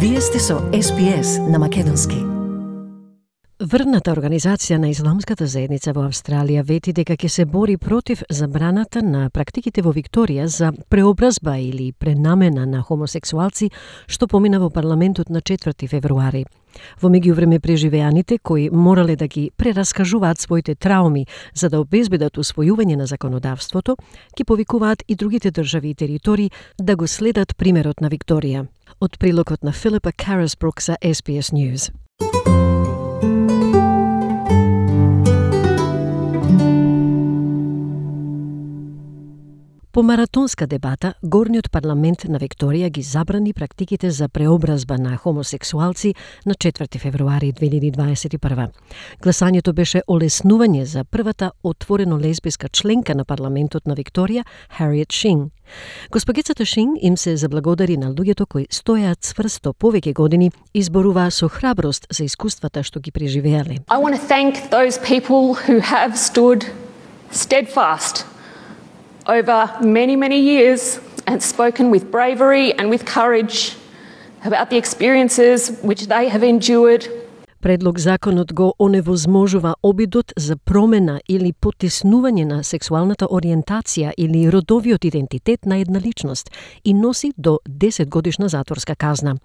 Вие сте со SPS на македонски. Врвната организација на исламската заедница во Австралија вети дека ќе се бори против забраната на практиките во Викторија за преобразба или пренамена на хомосексуалци, што помина во парламентот на 4 февруари. Во меѓувреме преживеаните кои морале да ги прераскажуваат своите трауми за да обезбедат усвојување на законодавството, ќе повикуваат и другите држави и територии да го следат примерот на Викторија. Од прилогот на Филипа Карасбрук за SBS News. По маратонска дебата, горниот парламент на Викторија ги забрани практиките за преобразба на хомосексуалци на 4 февруари 2021. Гласањето беше олеснување за првата отворено лесбиска членка на парламентот на Викторија, Harriet Shing. Госпогицата Шин им се заблагодари на луѓето кои стоеат цврсто повеќе години и зборуваа со храброст за искуствата што ги преживеале. I want to thank those people who have stood steadfast over many, many years and spoken with bravery and with courage about the experiences which they have endured. Предлог законот го оневозможува обидот за промена или потиснување на сексуалната ориентација или родовиот идентитет на една личност и носи до 10 годишна затворска казна.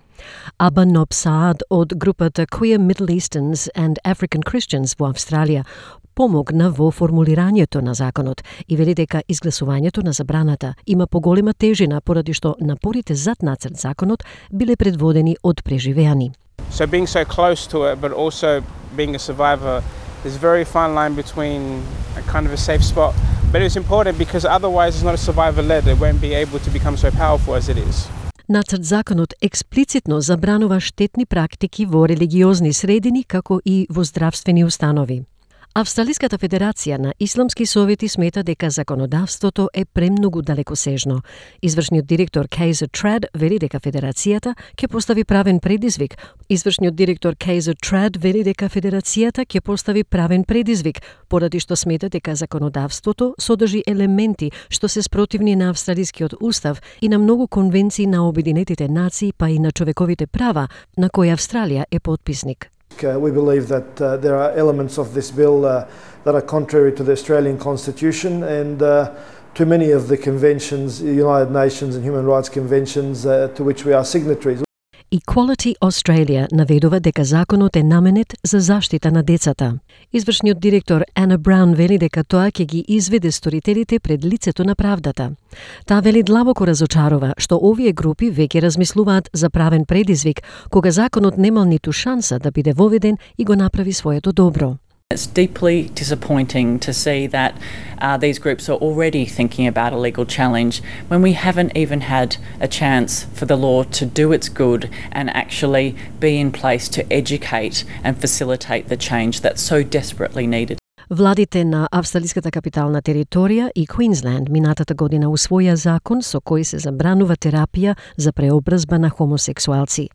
Аба Ноб Саад од групата Queer Middle Easterns and African Christians во Австралија помогна во формулирањето на законот и вели дека изгласувањето на забраната има поголема тежина поради што напорите зад нацрт законот биле предводени од преживеани. So being so close to it, but also being a survivor, there's a very fine line between a kind of a safe spot. But it's important because otherwise it's not a survivor-led. It won't be able to become so powerful as it is. Нацрт законот експлицитно забранува штетни практики во религиозни средини како и во здравствени установи. Австралиската федерација на исламски совети смета дека законодавството е премногу далекосежно. Извршниот директор Kaiser Trad вели дека федерацијата ќе постави правен предизвик. Поради што смета дека законодавството содржи елементи што се спротивни на австралискиот устав и на многу конвенции на Обединетите нации, па и на човековите права, на кои Австралија е потписник. We believe that there are elements of this bill that are contrary to the Australian Constitution and to many of the conventions, United Nations and human rights conventions to which we are signatories. Equality Australia наведува дека законот е наменет за заштита на децата. Извршниот директор Ана Браун вели дека тоа ќе ги изведе сторителите пред лицето на правдата. Таа вели длабоко разочарува што овие групи веќе размислуваат за правен предизвик, кога законот немал ниту шанса да биде воведен и го направи своето добро. It's deeply disappointing to see that these groups are already thinking about a legal challenge when we haven't even had a chance for the law to do its good and actually be in place to educate and facilitate the change that's so desperately needed. Владите на австралиската капитална територија и Квинсленд минатата година усвоја закон со кој се забранува терапија за преобразба на хомосексуалци.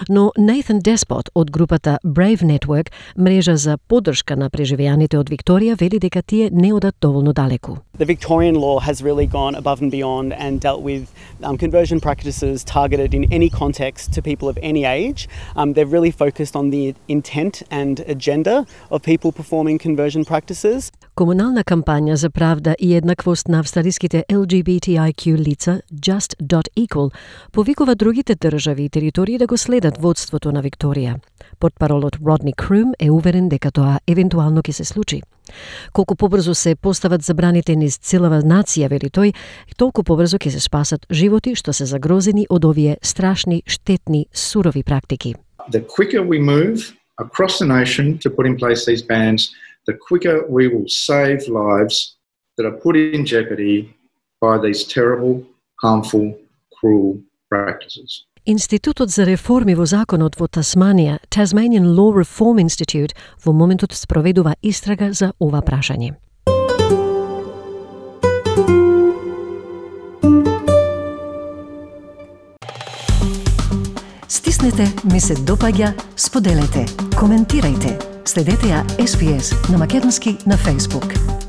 Но Nathan Despot од групата Brave Network, мрежа за поддршка на преживеаните од Викторија, вели дека тие не одат доволно далеку. The Victorian law has really gone above and beyond and dealt with conversion practices targeted in any context to people of any age. They've really focused on the intent and agenda of people performing conversion practices. Комунална кампања за правда и еднаквост на австралиските LGBTIQ лица, Just.Equal, повикува другите држави и територии да го следат водството на Викторија. Портпаролот Родни Крум е уверен дека тоа евентуално ќе се случи. Колку побрзо се постават забраните низ целава нација, вели тој, толку побрзо ќе се спасат животи што се загрозени од овие страшни, штетни, сурови практики. The quicker we move across the nation to put in place these bans, the quicker we will save lives that are put in jeopardy by these terrible, harmful, cruel practices. Институтот за реформи во законот во Тасманија, Tasmanian Law Reform Institute, во моментот спроведува истрага за ова прашање. Стиснете, ми се допаѓа, споделете, коментирајте. Следете ја SPS на македонски на Facebook.